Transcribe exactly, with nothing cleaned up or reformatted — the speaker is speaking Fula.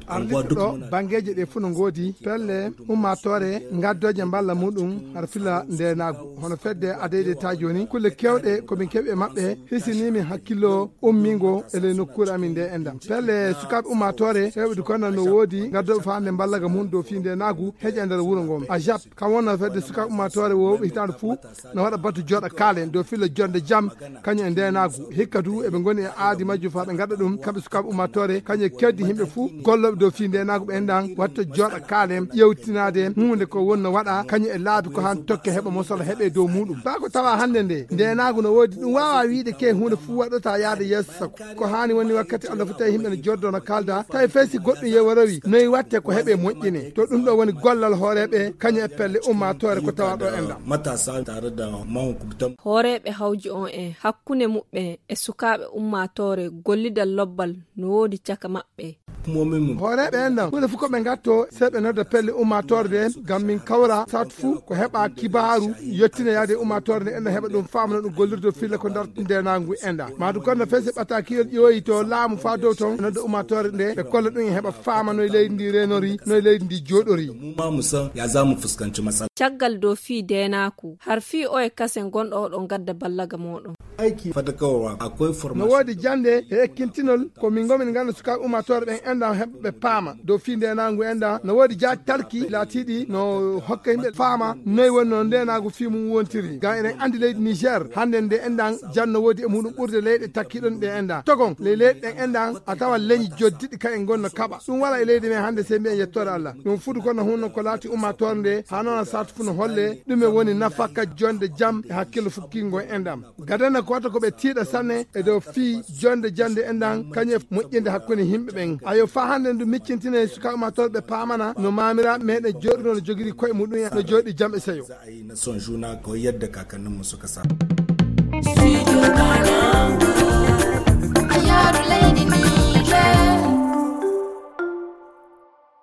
Arlitto ɗo banngeeji ɗe fuu no ngoodi pelle ummaatoore ngaddooje mballa muɗum har filla ndeenaagu. Hono fedde adeyde ta jooni, kulle keewɗe ko min keɓi e maɓɓe, hisini min hakkillo ummingo e ley nokkuure amin nde enɗam. Pelle sukaaɓe ummaatoore heewɓe du kono no woodi ngaddooɓe faande mballaga mum dow fii ndeenaagu heƴa e nder wuro ngon. A jap kam wonno fedde sukaaɓe ummaatoore wowɓe hitaande fuu no waɗa batu jooɗa kaalen dow filla jonde jam kañum e ndeenaagu. Hikka du eɓe ngoni e aadi majjum faa ɓe ngaɗa ɗum kamɓe sukaaɓe ummaatoore kañum e keddi yimɓe fuu gollooɓe dow fii ndeenaagu ɓe enɗan watta jooɗa kaalen ƴeewtinaade huunde ko wonno waɗa kañum e laabi ko haan tokke heɓa mosol heɓe dow muɗum. Faa ko tawa hannde nde ndeenaagu no woodi ɗum waawaa wiide ke huunde fuu waɗata yaade yeeso sago. Ko haani woni wakkati Allah fu tawi yimɓe no joddo no kaalda tawi fay si goɗɗum yewarowi noy watte ko heɓe moƴƴine. To ɗum ɗo woni gollal hooreeɓe kañum e pelle ummaatoore ko tawa ɗo enɗan. Matasa tare da mahukuntan. Hooreeɓe hawji on en hakkunde muɓɓen e sukaaɓe ummaatoore gollidal lobbal no woodi caka maɓɓe. Hooreeɓe enɗan huunde fof ko ɓe ngatto sey ɓe nodda pelle ummaatoore nde ngam min kawra saatu fuu ko heɓa kibaaru yettina yaade e ummaatoore nde enɗan heɓa ɗum faama no ɗum gollirde filla ko darta ndeenaagu enɗan. Maadu kono no fesi ɓatakiyol ƴooyi to laamu faa dow ton nodda ummaatoore nde ɓe kolla ɗum e heɓa faama noy leydi ndi reenori noy leydi ndi jooɗori. Mu ma mu san ya za mu fuskanci matsala. Caggal dow fii deenaaku har fii oye kasen gonɗo oɗo ngadda ballaga mooɗon. Aiki fadakawarwa akwai no formation. Woodi jannde e ekkintinol ko min ngomin ngannda sukaaɓe ummaatoore ɓen enɗan heɓa ɓe paama dow fii ndeenaagu enɗan no woodi jaaj talki laatiiɗi no hokka yimɓe faama noy woni no ndeenaagu fii mum wontiri ngam eɗen anndi leydi Niger hannde nde enɗan janno woodi e muɗum ɓurde leyɗe takkiɗon ɗe enɗan togon ley leyɗe ɗen enɗan a tawa leñi joddiɗi ka en gonno kaɓa ɗum wala e leydi men hannde sey mbiyen yettoore Allah. Ɗum fuɗi kono hunno ko laati ummaatoore nde haa noon a sartu fu no holle ɗume woni nafaka jonde jam e hakkillo fukkingo enɗan. Gadana ko wata ko ɓe tiiɗa sanne e dow fii jonde jande enɗan kañum e moƴƴinde hakkunde yimɓe ɓen. Ayo faa hannde ndu miccintine sukaaɓe ummaatoore ɓe paamana no maamiraaɓe meɗen jooɗuno no jogiri koye muɗum en no jooɗi jam e seyo. Za a yi na son juna kawai yadda kakanninmu suka saba.